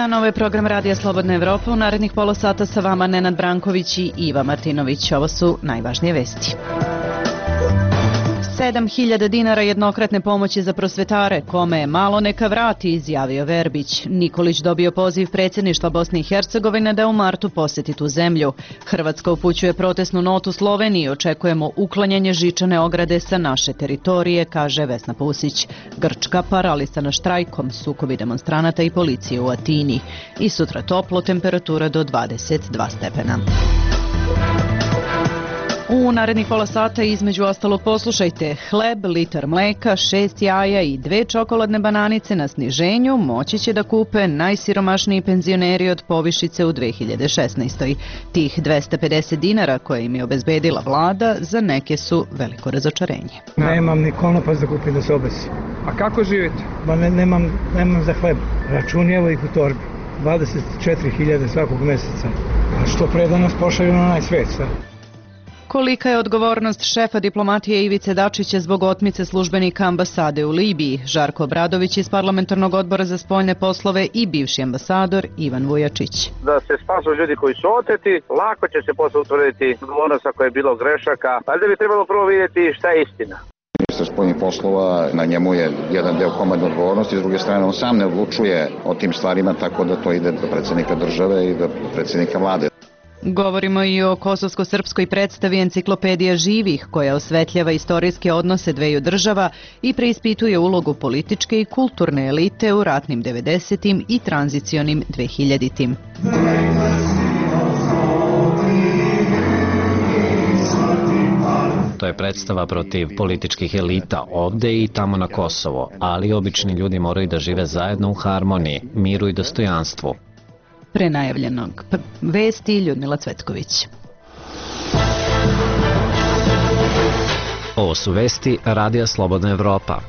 dan, ovo je program Radija Slobodna Evropa. U narednih pola sata sa vama Nenad Branković i Iva Martinović. Ovo su najvažnije vesti. 7.000 dinara jednokratne pomoći za prosvetare, kome je malo neka vrati, izjavio Verbić. Nikolić dobio poziv predsjedništva Bosne i Hercegovine da u martu posjeti tu zemlju. Hrvatska upućuje protestnu notu Sloveniji, očekujemo uklanjanje žičane ograde sa naše teritorije, kaže Vesna Pusić. Grčka paralisana štrajkom, sukobi demonstranata i policije u Atini. I sutra toplo, temperatura do 22 stepena. U narednih pola sata između ostalog poslušajte: hleb, litar mleka, 6 jaja i 2 čokoladne bananice na sniženju moći će da kupe najsiromašniji penzioneri od povišice u 2016. Tih 250 dinara koje im je obezbedila vlada za neke su veliko razočarenje. Nemam ni konopac da kupim da se obesim. A kako živite? Nemam za hleb. Račun je evo ih u torbi. 24.000 svakog meseca. A što pre da nas pošalju na onaj svet sad? Kolika je odgovornost šefa diplomatije Ivice Dačića zbog otmice službenika ambasade u Libiji? Žarko Obradović iz Parlamentarnog odbora za spoljne poslove i bivši ambasador Ivan Vujačić. Da se spasu ljudi koji su oteti, lako će se posle utvrditi odgovornost ako je bilo grešaka, ali da bi trebalo prvo vidjeti šta je istina. Ministar spoljnih poslova, na njemu je jedan deo komandne odgovornosti, s druge strane on sam ne odlučuje o tim stvarima, tako da to ide do predsjednika države i do predsjednika vlade. Govorimo i o kosovsko-srpskoj predstavi Enciklopedija živih, koja osvetljava istorijske odnose dveju država i preispituje ulogu političke i kulturne elite u ratnim 90. i tranzicionim 2000. To je predstava protiv političkih elita ovde i tamo na Kosovo, ali obični ljudi moraju da žive zajedno u harmoniji, miru i dostojanstvu. Pre najavljenog vesti Ljudmila Cvetković. Ovo su vesti Radija Slobodna Evropa.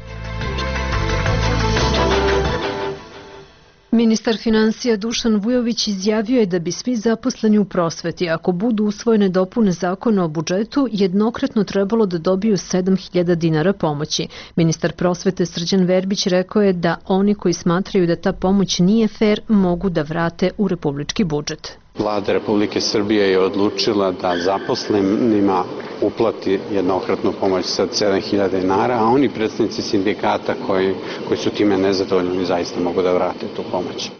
Ministar finansija Dušan Vujović izjavio je da bi svi zaposleni u prosveti, ako budu usvojene dopune zakona o budžetu, jednokratno trebalo da dobiju 7.000 dinara pomoći. Ministar prosvete Srđan Verbić rekao je da oni koji smatraju da ta pomoć nije fer mogu da vrate u republički budžet. Vlada Republike Srbije je odlučila da zaposlenima uplati jednokratnu pomoć sa 7.000 dinara, a oni predstavnici sindikata koji su time nezadovoljni zaista mogu da vrate tu pomoć.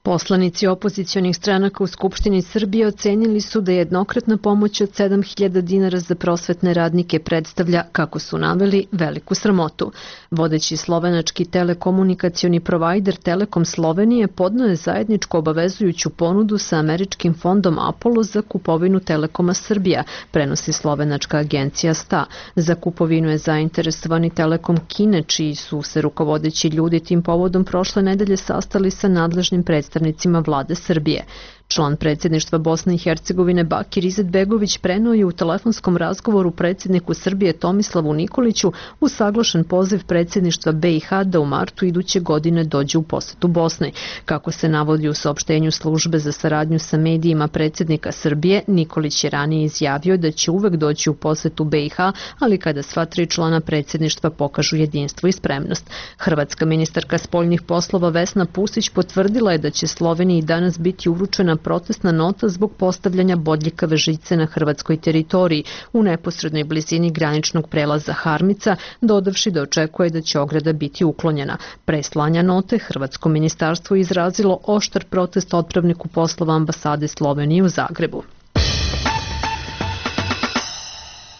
Poslanici opozicionih stranaka u Skupštini Srbije ocenili su da jednokratna pomoć od 7.000 dinara za prosvetne radnike predstavlja, kako su naveli, veliku sramotu. Vodeći slovenački telekomunikacioni provajder Telekom Slovenije podneo je zajedničku obavezujuću ponudu sa američkim fondom Apollo za kupovinu Telekoma Srbija, prenosi slovenačka agencija STA. Za kupovinu je zainteresovani Telekom Kine, čiji su se rukovodeći ljudi tim povodom prošle nedelje sastali sa nadležnim predstavnicima vlade Srbije. Član predsjedništva Bosne i Hercegovine Bakir Izetbegović preneo je u telefonskom razgovoru predsjedniku Srbije Tomislavu Nikoliću usaglašen poziv predsjedništva BiH da u martu iduće godine dođe u posetu Bosne. Kako se navodi u saopštenju službe za saradnju sa medijima predsjednika Srbije, Nikolić je ranije izjavio da će uvek doći u posetu BiH, ali kada sva 3 člana predsjedništva pokažu jedinstvo i spremnost. Hrvatska ministarka spoljnih poslova Vesna Pusić potvrdila je da će Sloveniji danas biti uručena protestna nota zbog postavljanja bodljikave žice na hrvatskoj teritoriji u neposrednoj blizini graničnog prelaza Harmica, dodavši da očekuje da će ograda biti uklonjena. Pre slanja note, hrvatsko ministarstvo je izrazilo oštar protest otpravniku poslova ambasade Slovenije u Zagrebu.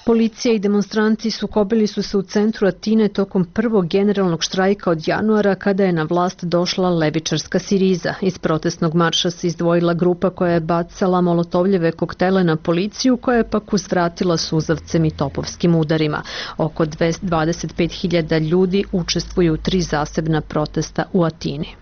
Policija i demonstranti sukobili su se u centru Atine tokom prvog generalnog štrajka od januara kada je na vlast došla levičarska Siriza. Iz protestnog marša se izdvojila grupa koja je bacala molotovljeve koktele na policiju, koja je pak uzvratila suzavcem i topovskim udarima. Oko 25.000 ljudi učestvuju u 3 zasebna protesta u Atini.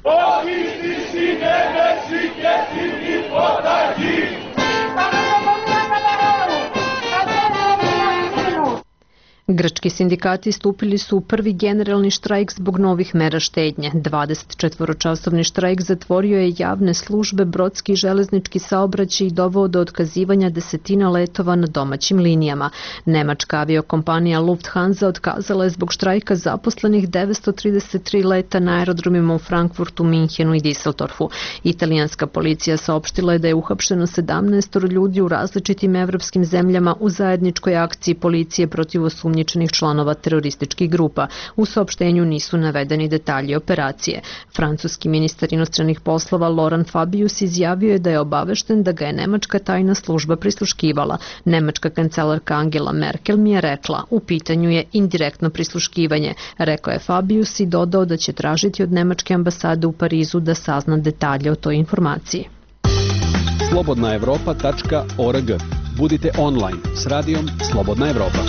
Grčki sindikati stupili su u prvi generalni štrajk zbog novih mera štednje. 24-časovni štrajk zatvorio je javne službe, brodski i železnički saobraćaj i doveo do otkazivanja desetina letova na domaćim linijama. Nemačka aviokompanija Lufthansa otkazala je zbog štrajka zaposlenih 933 leta na aerodromima u Frankfurtu, Minhenu i Düsseldorfu. Italijanska policija saopštila je da je uhapšeno 17 ljudi u različitim evropskim zemljama u zajedničkoj akciji policije protiv osumnjičenih članova terorističkih grupa. U saopštenju nisu navedeni detalji operacije. Francuski ministar inostranih poslova Laurent Fabius izjavio je da je obavešten da ga je nemačka tajna služba prisluškivala. Nemačka kancelarka Angela Merkel mi je rekla, u pitanju je indirektno prisluškivanje, rekao je Fabius i dodao da će tražiti od nemačke ambasade u Parizu da sazna detalje o toj informaciji. slobodnaevropa.org. Budite online s radijom Slobodna Evropa.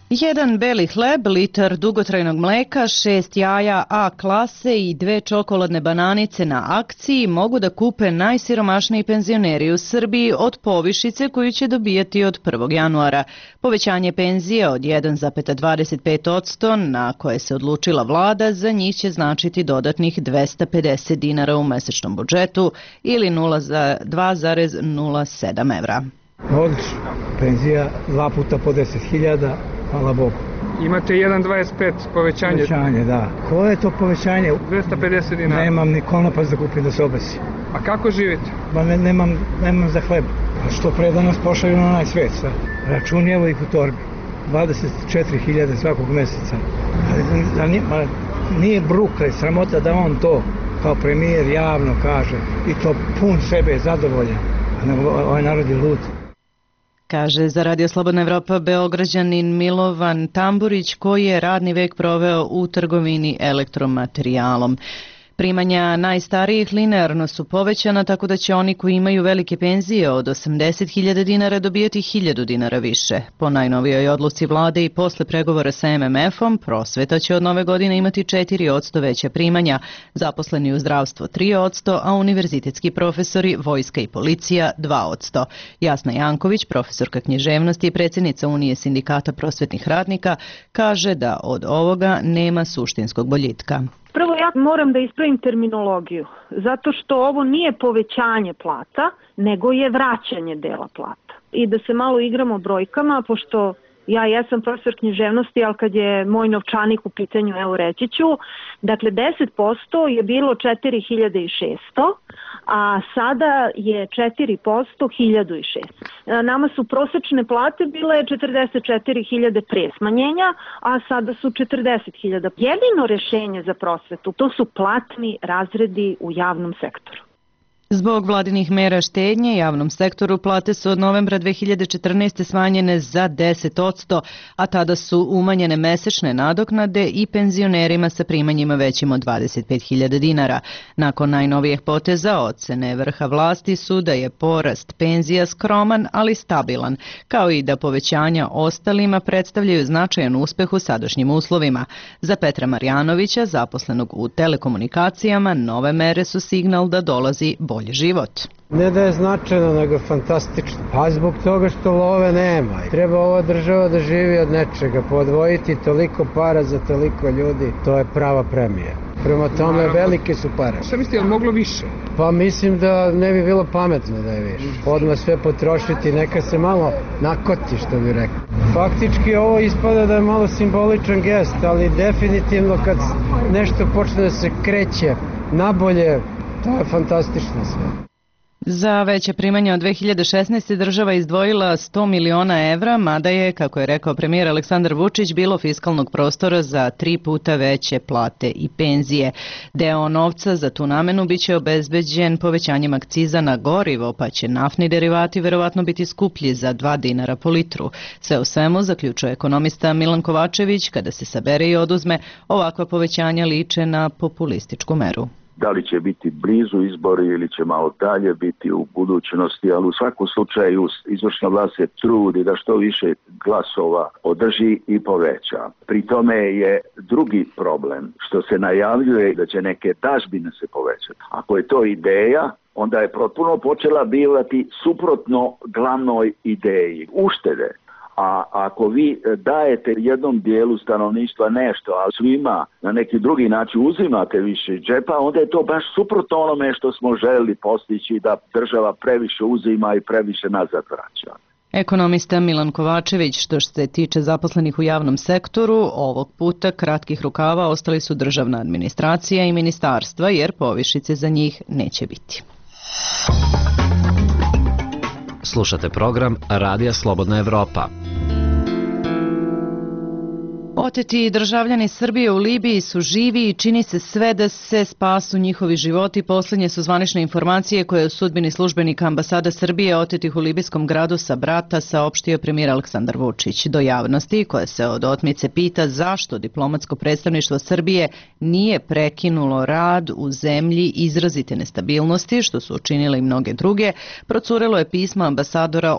Jedan beli hleb, litar dugotrajnog mleka, 6 jaja A klase i 2 čokoladne bananice na akciji mogu da kupe najsiromašniji penzioneri u Srbiji od povišice koju će dobijati od 1. januara. Povećanje penzije od 1,25% na koje se odlučila vlada za njih će značiti dodatnih 250 dinara u mesečnom budžetu ili 2,07 evra. Odlično. Penzija 2 puta po 10.000, hvala Bogu. Imate 1,25 povećanje. Povećanje, da. Koje je to povećanje? 250 dinara. Nemam ni konopac da kupim da se obesi. A kako živite? Nemam za hleb. A što pre da nas pošalju na onaj svet, sa računjevo ih u torbi. 24.000 svakog meseca. Nije bruka i sramota da on to kao premijer javno kaže i to pun sebe zadovoljan. Ovaj narod je lud. Kaže za Radio Slobodna Evropa Beograđanin Milovan Tamburić koji je radni vek proveo u trgovini elektromaterijalom. Primanja najstarijih linearno su povećana tako da će oni koji imaju velike penzije od 80.000 dinara dobijati 1.000 dinara više. Po najnovijoj odluci vlade i posle pregovora sa MMF-om, prosveta će od nove godine imati 4% veća primanja, zaposleni u zdravstvo 3%, a univerzitetski profesori, vojska i policija 2%. Jasna Janković, profesorka književnosti i predsjednica Unije sindikata prosvetnih radnika, kaže da od ovoga nema suštinskog boljitka. Prvo ja moram da ispravim terminologiju, zato što ovo nije povećanje plata, nego je vraćanje dela plata. I da se malo igramo brojkama, pošto ja jesam profesor književnosti, ali kad je moj novčanik u pitanju, evo reći ću, dakle 10% je bilo 4.600, a sada je 4% 1.600. Nama su prosečne plate bile 44.000 pre smanjenja, a sada su 40.000. Jedino rešenje za prosvetu, to su platni razredi u javnom sektoru. Zbog vladinih mera štednje javnom sektoru plate su od novembra 2014. smanjene za 10%, a tada su umanjene mesečne nadoknade i penzionerima sa primanjima većim od 25.000 dinara. Nakon najnovijih poteza ocene vrha vlasti su da je porast penzija skroman, ali stabilan, kao i da povećanja ostalima predstavljaju značajan uspeh u sadašnjim uslovima. Za Petra Marjanovića, zaposlenog u telekomunikacijama, nove mere su signal da dolazi bolji život. Ne da je značajno, nego fantastično. Pa zbog toga što love nema. Treba ova država da živi od nečega. Podvojiti toliko para za toliko ljudi, to je prava premija. Prema tome, velike su pare. Šta mislite, je li moglo više? Pa mislim da ne bi bilo pametno da je više. Odmah sve potrošiti, neka se malo nakoti, što bi rekao. Faktički ovo ispada da je malo simboličan gest, ali definitivno kad nešto počne da se kreće nabolje, to je fantastično sve. Za veće primanje od 2016. država izdvojila 100 miliona evra, mada je, kako je rekao premijer Aleksandar Vučić, bilo fiskalnog prostora za 3 puta veće plate i penzije. Deo novca za tu namenu biće obezbeđen povećanjem akciza na gorivo, pa će naftni derivati verovatno biti skuplji za 2 dinara po litru. Sve u svemu, zaključuje ekonomista Milan Kovačević, kada se sabere i oduzme, ovakva povećanja liče na populističku meru. Da li će biti blizu izbori ili će malo dalje biti u budućnosti, ali u svakom slučaju izvršna vlast se trudi da što više glasova održi i poveća. Pri tome je drugi problem što se najavljuje da će neke dažbine se povećati. Ako je to ideja, onda je potpuno počela bivati suprotno glavnoj ideji uštede. A ako vi dajete jednom dijelu stanovništva nešto, a svima na neki drugi način uzimate više džepa, onda je to baš suprotno onome što smo želeli postići, da država previše uzima i previše nazad vraća. Ekonomista Milan Kovačević, što se tiče zaposlenih u javnom sektoru, ovog puta kratkih rukava ostali su državna administracija i ministarstva, jer povišice za njih neće biti. Slušate program Radija Slobodna Evropa. Oteti državljani Srbije u Libiji su živi i čini se sve da se spasu njihovi životi. Posljednje su zvanične informacije koje je o sudbini službenika ambasada Srbije otetih u libijskom gradu Sabrata saopštio premijer Aleksandar Vučić. Do javnosti, koja se od otmice pita zašto diplomatsko predstavništvo Srbije nije prekinulo rad u zemlji izrazite nestabilnosti, što su učinile i mnoge druge, procurilo je pismo ambasadora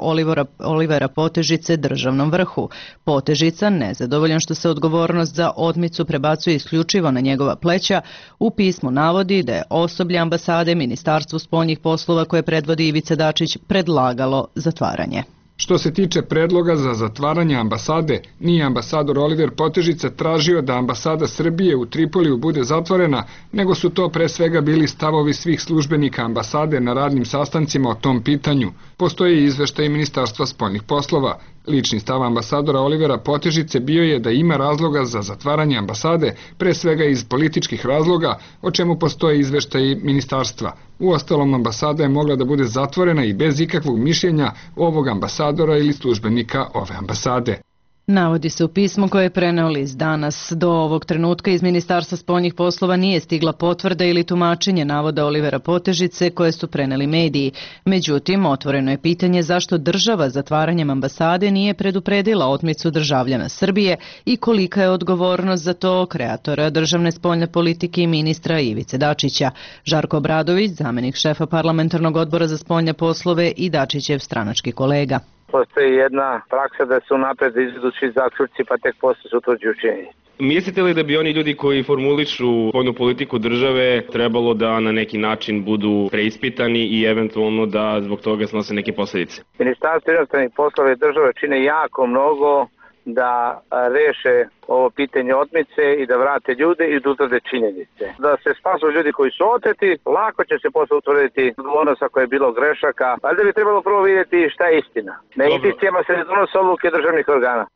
Olivera Potežice državnom vrhu. Potežica, nezadovoljan što se odgovornost za otmicu prebacuje isključivo na njegova pleća, u pismu navodi da je osoblje ambasade Ministarstvu spoljnih poslova koje predvodi Ivica Dačić predlagalo zatvaranje. Što se tiče predloga za zatvaranje ambasade, nije ambasador Oliver Potežica tražio da ambasada Srbije u Tripoliju bude zatvorena, nego su to pre svega bili stavovi svih službenika ambasade na radnim sastancima o tom pitanju. Postoji izveštaj Ministarstva spoljnih poslova. Lični stav ambasadora Olivera Potežice bio je da ima razloga za zatvaranje ambasade, pre svega iz političkih razloga, o čemu postoje izveštaj ministarstva. Uostalom, ambasada je mogla da bude zatvorena i bez ikakvog mišljenja ovog ambasadora ili službenika ove ambasade. Navodi se u pismu koje je preneo list Danas. Do ovog trenutka iz Ministarstva spoljnih poslova nije stigla potvrda ili tumačenje navoda Olivera Potežice koje su preneli mediji. Međutim, otvoreno je pitanje zašto država zatvaranjem ambasade nije predupredila otmicu državljana Srbije i kolika je odgovornost za to kreatora državne spoljne politike i ministra Ivice Dačića. Žarko Obradović, zamenik šefa parlamentarnog odbora za spoljne poslove i Dačićev stranački kolega. Postoji jedna praksa da su napred izvedući zaključci pa tek posle se utvrđuju činjenice. Mislite li da bi oni ljudi koji formulišu spoljnu politiku države trebalo da na neki način budu preispitani i eventualno da zbog toga snose neke posljedice? Ministarstvo inostranih poslova i države čine jako mnogo da reše ovo pitanje otmice i da vrate ljude i da utvrde činjenice. Da se spasu ljudi koji su oteti, lako će se posle utvrditi odgovornost ako je bilo grešaka, ali da bi trebalo prvo vidjeti šta je istina. Na indicijama se ne donose odluke državnih organa.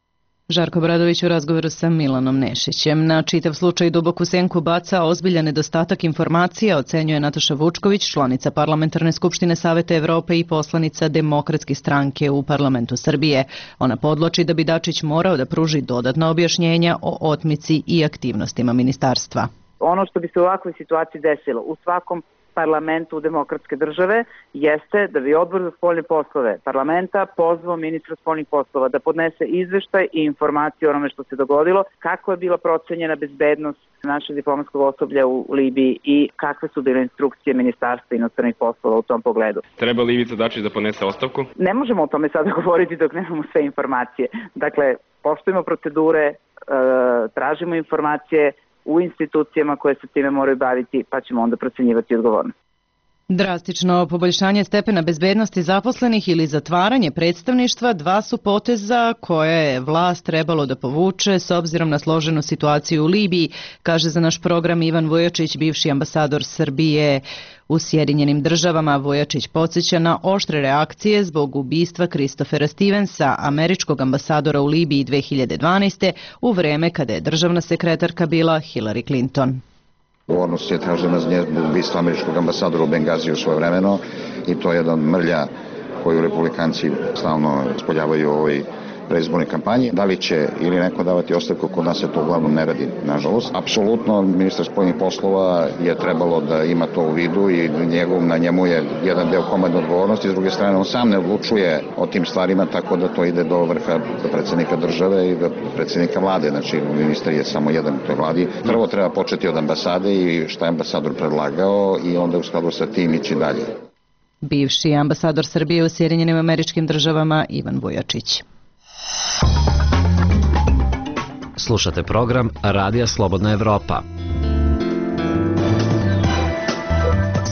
Žarko Obradović u razgovoru sa Milanom Nešićem. Na čitav slučaj duboku senku baca ozbiljan nedostatak informacija, ocenjuje Nataša Vučković, članica Parlamentarne skupštine Saveta Evrope i poslanica Demokratske stranke u Parlamentu Srbije. Ona podloči da bi Dačić morao da pruži dodatna objašnjenja o otmici i aktivnostima ministarstva. Ono što bi se u ovakvoj situaciji desilo u svakom parlamentu demokratske države jeste da bi odbor za spoljne poslove parlamenta pozvao ministra spoljnih poslova da podnese izveštaj i informaciju o onome što se dogodilo, kako je bila procenjena bezbednost našeg diplomatskog osoblja u Libiji i kakve su bile instrukcije Ministarstva inostranih poslova u tom pogledu. Treba li Ivica Dačić da podnese ostavku? Ne možemo o tome sada govoriti dok nemamo sve informacije. Dakle, poštujemo procedure, tražimo informacije u institucijama koje se time moraju baviti, pa ćemo onda procenjivati odgovornost. Drastično poboljšanje stepena bezbednosti zaposlenih ili zatvaranje predstavništva dva su poteza koje je vlast trebalo da povuče s obzirom na složenu situaciju u Libiji, kaže za naš program Ivan Vujačić, bivši ambasador Srbije u Sjedinjenim državama. Vujačić podsjeća na oštre reakcije zbog ubistva Christophera Stevensa, američkog ambasadora u Libiji 2012. u vreme kada je državna sekretarka bila Hillary Clinton. Odgovornost je tražena za ubistvo američkog ambasadora u Bengaziju svojevremeno i to je jedan mrlja koju republikanci stalno spoljavaju u ovoj preizbornoj kampanji. Da li će ili neko davati ostavku, kod nas se to uglavnom ne radi, nažalost. Apsolutno, ministar spoljnih poslova je trebalo da ima to u vidu i na njemu je jedan deo komandne odgovornosti, s druge strane on sam ne odlučuje o tim stvarima, tako da to ide do vrha predsjednika države i do predsjednika vlade, znači ministar je samo jedan u toj vladi. Prvo treba početi od ambasade i šta je ambasador predlagao i onda u skladu sa tim ići dalje. Bivši ambasador Srbije u Sjedinjenim Američkim Državama Ivan Vujačić. Slušate program Radija Slobodna Evropa.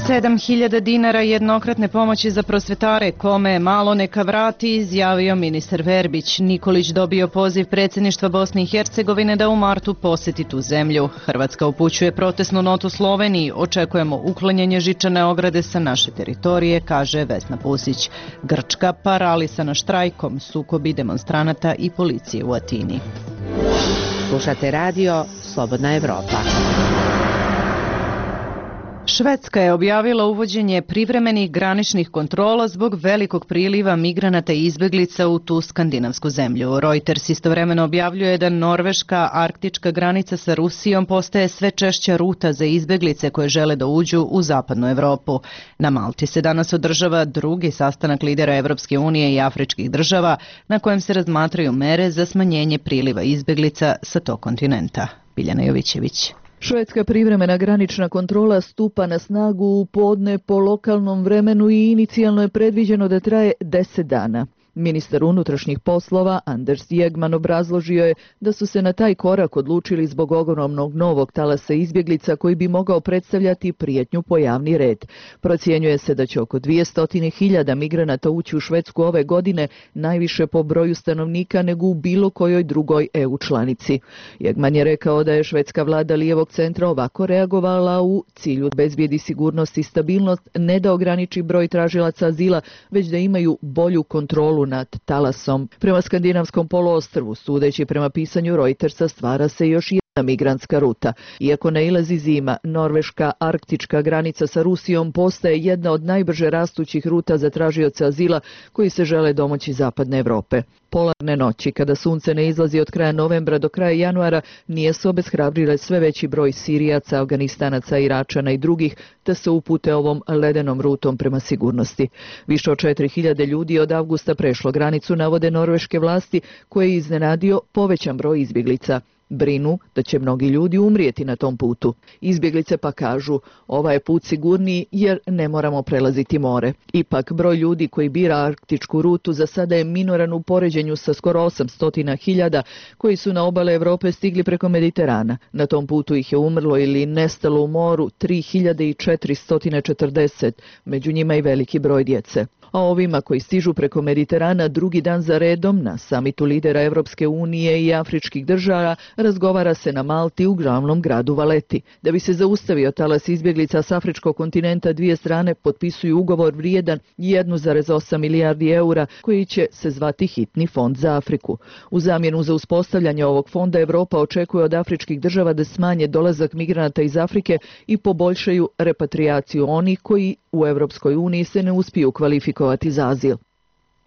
7.000 dinara jednokratne pomoći za prosvetare, kome malo neka vrati, izjavio ministar Verbić. Nikolić dobio poziv predsjedništva Bosne i Hercegovine da u martu posjeti tu zemlju. Hrvatska upućuje protestnu notu Sloveniji. Očekujemo uklanjanje žičane ograde sa naše teritorije, kaže Vesna Pusić. Grčka paralisana štrajkom, sukobi demonstranata i policije u Atini. Slušate radio Slobodna Evropa. Švedska je objavila uvođenje privremenih graničnih kontrola zbog velikog priliva migranata i izbeglica u tu skandinavsku zemlju. Reuters istovremeno objavljuje da norveška arktička granica sa Rusijom postaje sve češća ruta za izbeglice koje žele da uđu u zapadnu Evropu. Na Malti se danas održava drugi sastanak lidera Evropske unije i afričkih država na kojem se razmatraju mere za smanjenje priliva izbeglica sa tog kontinenta. Biljana Jovićević. Švedska privremena granična kontrola stupa na snagu u podne po lokalnom vremenu i inicijalno je predviđeno da traje 10 dana. Ministar unutrašnjih poslova Anders Jegman obrazložio je da su se na taj korak odlučili zbog ogromnog novog talasa izbjeglica koji bi mogao predstavljati prijetnju po javni red. Procjenjuje se da će oko 200.000 migranata ući u Švedsku ove godine, najviše po broju stanovnika nego u bilo kojoj drugoj EU članici. Jegman je rekao da je švedska vlada lijevog centra ovako reagovala u cilju bezbjedi sigurnost i stabilnost, ne da ograniči broj tražilaca azila, već da imaju bolju kontrolu nad talasom. Prema skandinavskom poluostrvu, sudeći prema pisanju Reutersa, stvara se još jedna migrantska ruta. Iako nailazi zima, norveška arktička granica sa Rusijom postaje jedna od najbrže rastućih ruta za tražioce azila koji se žele domoći zapadne Evrope. Polarne noći, kada sunce ne izlazi od kraja novembra do kraja januara, nije se obeshrabrile sve veći broj Sirijaca, Afganistanaca, Iračana i drugih, da se upute ovom ledenom rutom prema sigurnosti. Više od 4.000 ljudi od avgusta prešlo granicu, navode norveške vlasti, koje je iznenadio povećan broj izbjeglica. Brinu da će mnogi ljudi umrijeti na tom putu. Izbjeglice pa kažu, ovaj je put sigurniji jer ne moramo prelaziti more. Ipak, broj ljudi koji bira arktičku rutu za sada je minoran u poređenju sa skoro 800.000 koji su na obale Evrope stigli preko Mediterana. Na tom putu ih je umrlo ili nestalo u moru 3.440, među njima i veliki broj djece. A ovima koji stižu preko Mediterana drugi dan za redom na samitu lidera Evropske unije i afričkih država razgovara se na Malti u glavnom gradu Valeti. Da bi se zaustavio talas izbjeglica s afričkog kontinenta, dvije strane potpisuju ugovor vrijedan 1,8 milijardi eura koji će se zvati Hitni fond za Afriku. U zamjenu za uspostavljanje ovog fonda Evropa očekuje od afričkih država da smanje dolazak migranata iz Afrike i poboljšaju repatriaciju onih koji u Evropskoj uniji se ne uspiju kvalifikovati za azil.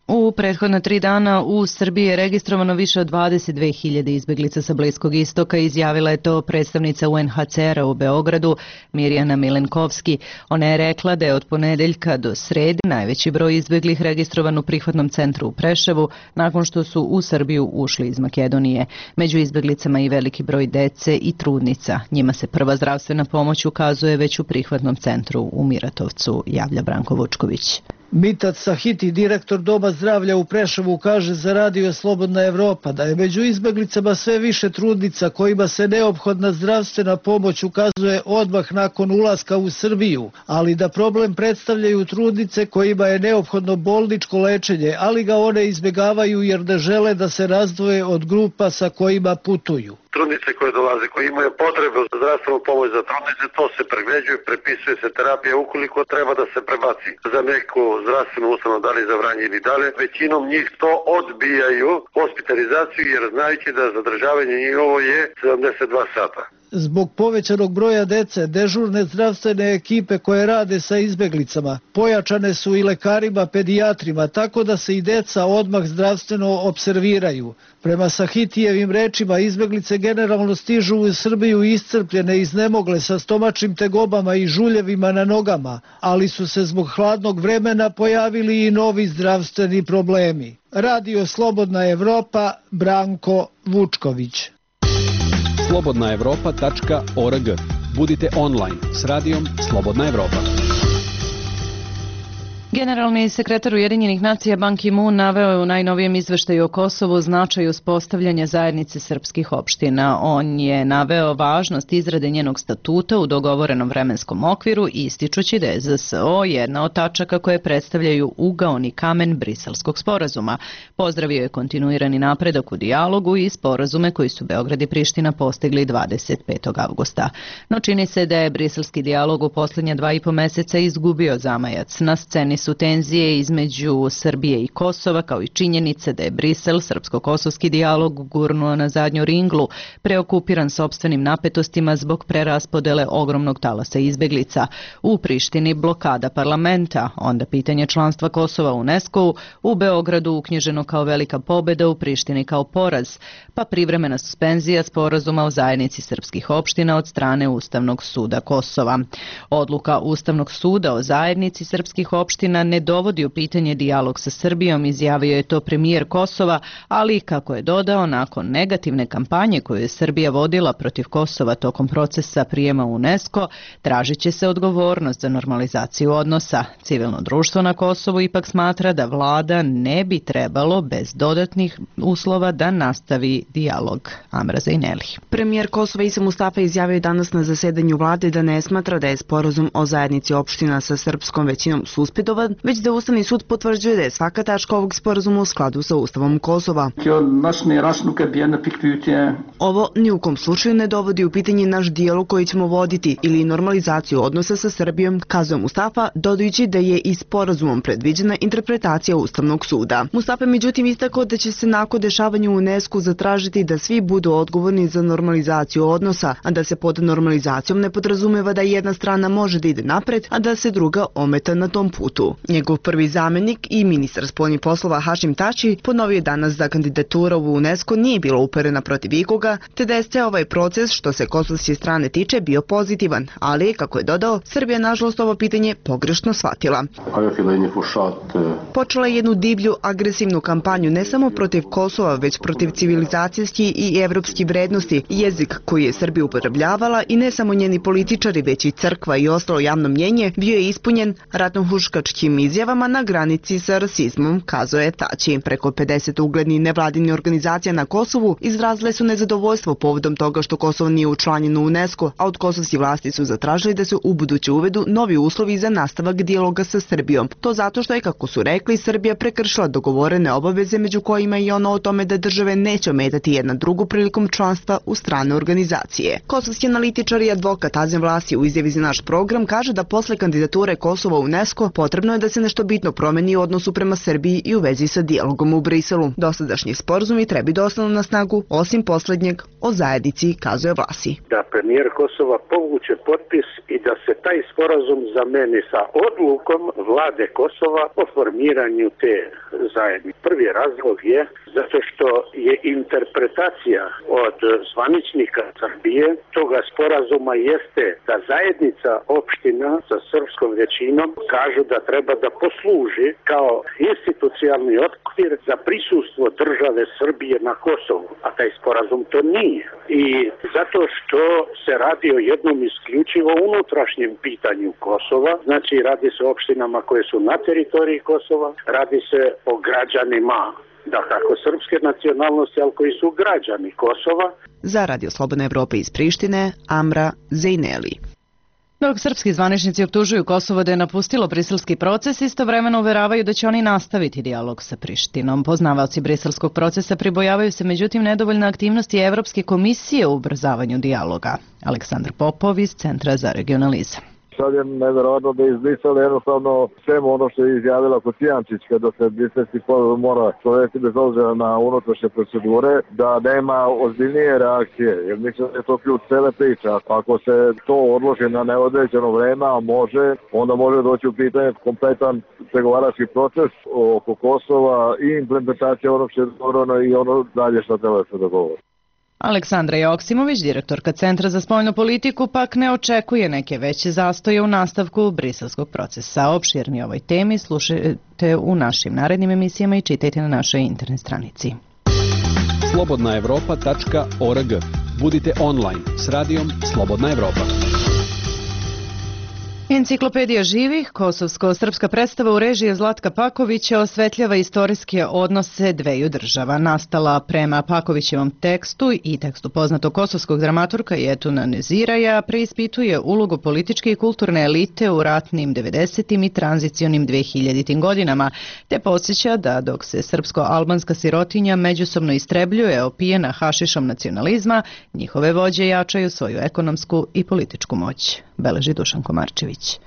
U prethodna 3 dana u Srbiji je registrovano više od 22.000 izbjeglica sa Bliskog istoka, izjavila je to predstavnica UNHCR-a u Beogradu, Mirjana Milenkovski. Ona je rekla da je od ponedeljka do srede najveći broj izbjeglih registrovan u prihvatnom centru u Preševu, nakon što su u Srbiju ušli iz Makedonije. Među izbjeglicama i veliki broj dece i trudnica. Njima se prva zdravstvena pomoć ukazuje već u prihvatnom centru u Miratovcu, javlja Branko Vučković. Mitat Sahiti, direktor Doma zdravlja u Preševu, kaže za radio Slobodna Evropa da je među izbeglicama sve više trudnica kojima se neophodna zdravstvena pomoć ukazuje odmah nakon ulaska u Srbiju, ali da problem predstavljaju trudnice kojima je neophodno bolničko lečenje, ali ga one izbjegavaju jer ne žele da se razdvoje od grupa sa kojima putuju. Trudnice koje dolaze, koje imaju potrebu za zdravstvenu pomoć za trudnice, to se pregleđuje, prepisuje se terapija ukoliko treba da se prebaci za neku zdravstvenu ustanovu, da li za Vranje ili dalje. Većinom njih to odbijaju hospitalizaciju jer znajući da zadržavanje njihovo je 72 sata. Zbog povećanog broja dece, dežurne zdravstvene ekipe koje rade sa izbeglicama pojačane su i lekarima, pedijatrima, tako da se i deca odmah zdravstveno observiraju. Prema Sahitijevim rečima, izbeglice generalno stižu u Srbiju iscrpljene, iznemogle sa stomačnim tegobama i žuljevima na nogama, ali su se zbog hladnog vremena pojavili i novi zdravstveni problemi. Radio Slobodna Evropa, Branko Vučković. slobodnaevropa.org. Budite online s radijom Slobodna Evropa. Generalni sekretar Ujedinjenih nacija Ban Ki-moon naveo je u najnovijem izveštaju o Kosovu značaj uspostavljanja zajednice srpskih opština. On je naveo važnost izrade njenog statuta u dogovorenom vremenskom okviru, ističući da je ZSO jedna od tačaka koje predstavljaju ugaoni kamen Briselskog sporazuma. Pozdravio je kontinuirani napredak u dijalogu i sporazume koji su Beograd i Priština postigli 25. avgusta. No čini se da je briselski dijalog u posljednja 2,5 meseca izgubio zamajac. Na sceni su tenzije između Srbije i Kosova, kao i činjenice da je Brisel srpsko-kosovski dijalog gurnuo na zadnju ringlu, preokupiran sopstvenim napetostima zbog preraspodele ogromnog talasa izbeglica. U Prištini blokada parlamenta, onda pitanje članstva Kosova u UNESCO-u, u Beogradu uknjiženo kao velika pobjeda, u Prištini kao poraz, pa privremena suspenzija sporazuma o zajednici srpskih opština od strane Ustavnog suda Kosova. Odluka Ustavnog suda o zajednici srpskih opština ne dovodi u pitanje dijalog sa Srbijom, izjavio je to premijer Kosova, ali kako je dodao, nakon negativne kampanje koju je Srbija vodila protiv Kosova tokom procesa prijema u UNESCO, tražit će se odgovornost za normalizaciju odnosa. Civilno društvo na Kosovu ipak smatra da vlada ne bi trebalo bez dodatnih uslova da nastavi dijalog. Amra Zejneli. Premijer Kosova Isa Mustafa izjavio je danas na zasedanju vlade da ne smatra da je sporazum o zajednici opština sa srpskom većinom suspendovan, već da Ustavni sud potvrđuje da je svaka tačka ovog sporazuma u skladu sa Ustavom Kosova. Ovo ni u kom slučaju ne dovodi u pitanje naš dijalog koji ćemo voditi ili normalizaciju odnosa sa Srbijom, kazao Mustafa, dodajući da je i sporazumom predviđena interpretacija Ustavnog suda. Mustafa međutim istakao da će se nakon dešavanja u UNESCO zatražiti da svi budu odgovorni za normalizaciju odnosa, a da se pod normalizacijom ne podrazumeva da jedna strana može da ide napred, a da se druga ometa na tom putu. Njegov prvi zamenik i ministar spoljnih poslova Hašim Tači ponovio je danas da kandidatura u UNESCO nije bila uperena protiv ikoga, te da je sve ovaj proces što se kosovske strane tiče bio pozitivan, ali, kako je dodao, Srbija nažalost ovo pitanje pogrešno shvatila. Počela je jednu divlju, agresivnu kampanju ne samo protiv Kosova, već protiv civilizacijski i evropski vrednosti, jezik koji je Srbija upotrebljavala i ne samo njeni političari, već i crkva i ostalo javno mnjenje bio je ispunjen ratnohuškačkim izjavama na granici sa rasizmom, kazao je Tači. Preko 50 uglednih nevladinih organizacija na Kosovu izrazile su nezadovoljstvo povodom toga što Kosovo nije učlanjeno u UNESCO, a od kosovskih vlasti su zatražili da se ubuduće uvedu novi uslovi za nastavak dijaloga sa Srbijom. To zato što je, kako su rekli, Srbija prekršila dogovorene obaveze, među kojima i ono o tome da države neće ometati jedna drugu prilikom članstva u strane organizacije. Kosovski analitičar i advokat Azem Vlasi u izjavi za naš program kaže da posle kandidature Kosova u UNESCO potrebno je da se nešto bitno promeni u odnosu prema Srbiji i u vezi sa dijalogom u Briselu. Dosadašnji sporazumi treba da ostanu na snagu osim poslednjeg o zajednici, kazuje Vlasi. Da premijer Kosova povuče potpis i da se taj sporazum zameni sa odlukom vlade Kosova o formiranju te zajednice. Prvi razlog je zato što je interpretacija od zvaničnika Srbije toga sporazuma jeste da zajednica opština sa srpskom većinom kažu da treba da posluži kao institucionalni okvir za prisustvo države Srbije na Kosovu, a taj sporazum to nije. I zato što se radi o jednom isključivo unutrašnjem pitanju Kosova, znači radi se o opštinama koje su na teritoriji Kosova, radi se o građanima da kako srpske nacionalnosti, ali koji su građani Kosova. Za Radio Slobodna Evropa iz Prištine, Amra Zejneli. Dok srpski zvaničnici optužuju Kosovo da je napustilo briselski proces, istovremeno uveravaju da će oni nastaviti dijalog sa Prištinom. Poznavaoci briselskog procesa pribojavaju se međutim nedovoljne aktivnosti Evropske komisije u ubrzavanju dijaloga. Aleksandar Popov iz Centra za regionalizam. Sad je nevjerojatno da je izbrisala jednostavno svemu ono što je izjavila Kocijančić kada se briselski sporazum mora provesti bez obzira na unutrašnje procedure, da nema ozbiljnije reakcije, jer mislim da je to ključ cele priče. Ako se to odloži na neodređeno vreme, a može, onda može doći u pitanje kompletan pregovarački proces oko Kosova i implementacija onog što je dogovoreno i ono dalje što treba da se dogovori. Aleksandra Joksimović, direktorka Centra za spoljnu politiku, pak ne očekuje neke veće zastoje u nastavku briselskog procesa. Opširni ovoj temi slušajte u našim narednim emisijama i čitajte na našoj internet stranici. slobodnaevropa.org. Budite online s radijom Slobodna Evropa. Enciklopedija živih, kosovsko-srpska predstava u režiji Zlatka Pakovića osvetljava istorijske odnose dveju država. Nastala prema Pakovićevom tekstu i tekstu poznatog kosovskog dramaturga Jetuna Neziraja, preispituje ulogu političke i kulturne elite u ratnim 90. i tranzicionim 2000. godinama, te podsjeća da dok se srpsko-albanska sirotinja međusobno istrebljuje opijena hašišom nacionalizma, njihove vođe jačaju svoju ekonomsku i političku moć. Beleži Dušan Komarčević.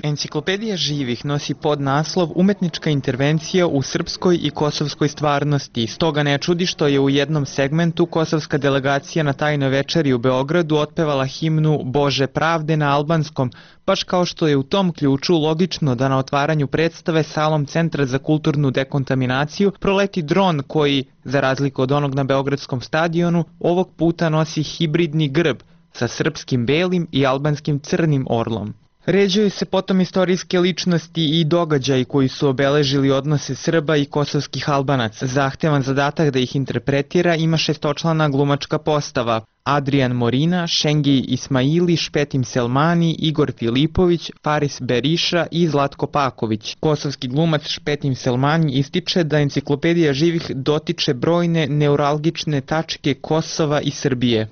Enciklopedija živih nosi podnaslov Umetnička intervencija u srpskoj i kosovskoj stvarnosti. Stoga ne čudi što je u jednom segmentu kosovska delegacija na tajnoj večeri u Beogradu otpevala himnu Bože pravde na albanskom, baš kao što je u tom ključu logično da na otvaranju predstave salom Centra za kulturnu dekontaminaciju proleti dron koji, za razliku od onog na Beogradskom stadionu, ovog puta nosi hibridni grb sa srpskim belim i albanskim crnim orlom. Ređuju se potom istorijske ličnosti i događaji koji su obeležili odnose Srba i kosovskih Albanaca. Zahtevan zadatak da ih interpretira ima šestočlana glumačka postava: Adrian Morina, Šengi Ismaili, Špetim Selmani, Igor Filipović, Faris Beriša i Zlatko Paković. Kosovski glumac Špetim Selmani ističe da enciklopedija živih dotiče brojne neuralgične tačke Kosova i Srbije.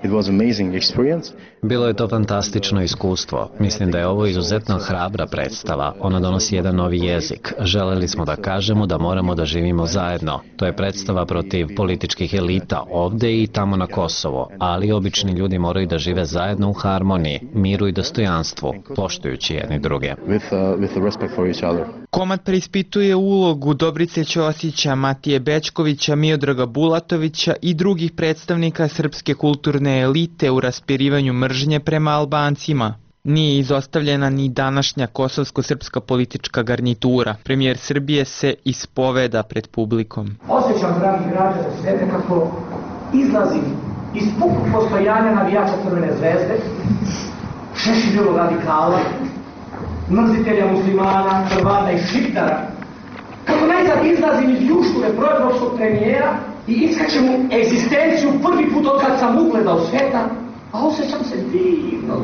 Bilo je to fantastično iskustvo. Mislim da je ovo izuzetno hrabra predstava. Ona donosi jedan novi jezik. Želeli smo da kažemo da moramo da živimo zajedno. To je predstava protiv političkih elita ovde i tamo na Kosovo, ali obični ljudi moraju da žive zajedno u harmoniji, miru i dostojanstvu, poštujući jedni druge. Komad preispituje ulogu Dobrice Ćosića, Matije Bećkovića, Miodraga Bulatovića i drugih predstavnika srpske kulturne elite u raspirivanju mržnje prema Albancima. Nije izostavljena ni današnja kosovsko-srpska politička garnitura. Premijer Srbije se ispoveda pred publikom. Osjećam, dragi građani, sebe kako izlazim iz pukog postojanja navijača Crvene zvezde, Šešiljevog radikala, mrzitelja muslimana, Hrvata i Šiptara, kako najzad izlazim iz ljušture proevropskog premijera i iskačem u egzistenciju prvi put od kad sam ugledao sveta, a osjećam se divno.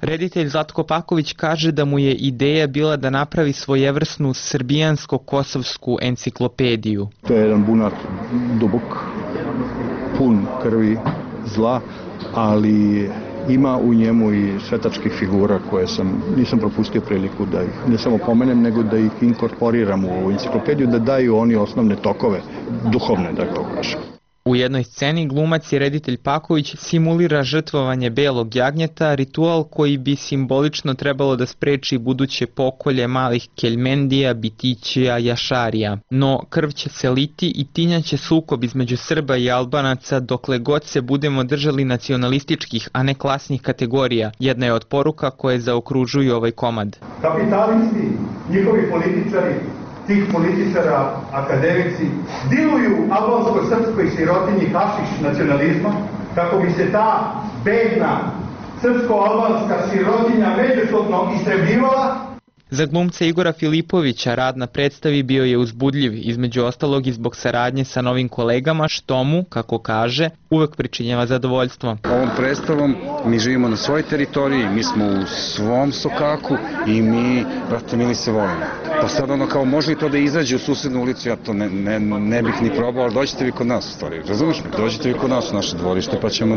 Reditelj Zlatko Paković kaže da mu je ideja bila da napravi svojevrsnu srbijansko-kosovsku enciklopediju. To je jedan bunar dubok, pun krvi, zla, ali ima u njemu i svetačkih figura koje nisam propustio priliku da ih ne samo pomenem, nego da ih inkorporiram u ovu enciklopediju, da daju oni osnovne tokove, duhovne, da ga kažem. U jednoj sceni glumac i reditelj Paković simulira žrtvovanje belog jagnjeta, ritual koji bi simbolično trebalo da spreči buduće pokolje malih keljmendija, bitićija, jašarija. No krv će se liti i tinjaće sukob između Srba i Albanaca dokle god se budemo držali nacionalističkih, a ne klasnih kategorija. Jedna je od poruka koje zaokružuju ovaj komad. Kapitalisti, njihovi političari, tih političara, akademici, diluju albanskoj, srpskoj sirotinji hašiš nacionalizma, kako bi se ta bedna srpsko-albanska sirotinja međusobno istrebljivala. Za glumca Igora Filipovića rad na predstavi bio je uzbudljiv, između ostalog i zbog saradnje sa novim kolegama, što mu, kako kaže, uvek pričinjava zadovoljstvo. Ovom predstavom mi živimo na svojoj teritoriji, mi smo u svom sokaku i mi, brate mili, se volimo. Pa sad ono kao može li to da izađe u susednu ulicu, ja to ne bih ni probao, ali dođite vi kod nas u stvari, razumiješ me? Dođite vi kod nas u naše dvorište pa ćemo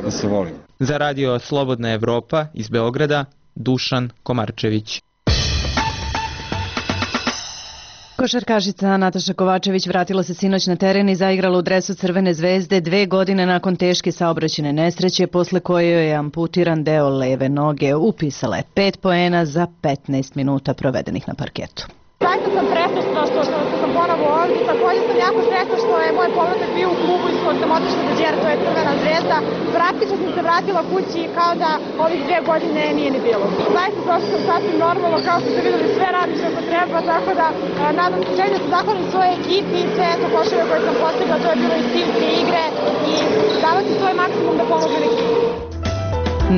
da se volimo. Za radio Slobodna Evropa iz Beograda, Dušan Komarčević. Košarkašica Nataša Kovačević vratila se sinoć na teren i zaigrala u dresu Crvene zvezde 2 godine nakon teške saobraćajne nesreće, posle koje je amputiran deo leve noge. Upisala je 5 poena za 15 minuta provedenih na parketu. Zaista sam presrećna što sam ponovo ovdje, također sam jako sretna što je moj povratak bio u klubu iz kojeg sam otišla da džera, to je Crvena zvezda. Praktično sam se vratila kući kao da ovih 2 godine nije ni bilo. Zaista došla sam sasvim normalno, kao što ste videli, sve radim što treba, tako da nadam se želim da se zahvalim svoje ekipi i sve to koševe koje sam postigla, to je bilo iz timske igre i davati svoj maksimum da pomognem ekipi.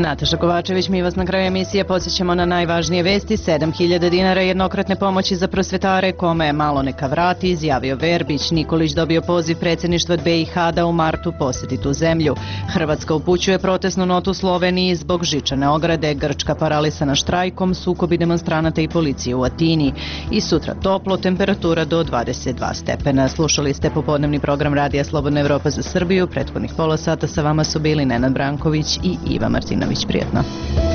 Nataša Kovačević, mi vas na kraju emisije podsjećamo na najvažnije vesti. 7.000 dinara jednokratne pomoći za prosvetare, kome je malo neka vrati, izjavio Verbić. Nikolić dobio poziv predsjedništva BiH da u martu posjeti tu zemlju. Hrvatska upućuje protestnu notu Sloveniji zbog žičane ograde. Grčka paralisana štrajkom, sukobi demonstranata i policije u Atini. I sutra toplo, temperatura do 22 stepena. Slušali ste popodnevni program Radija Slobodna Evropa za Srbiju. Prethodnih pola sata sa vama su bili Nenad Branković i Iva Martinović. Prijetno.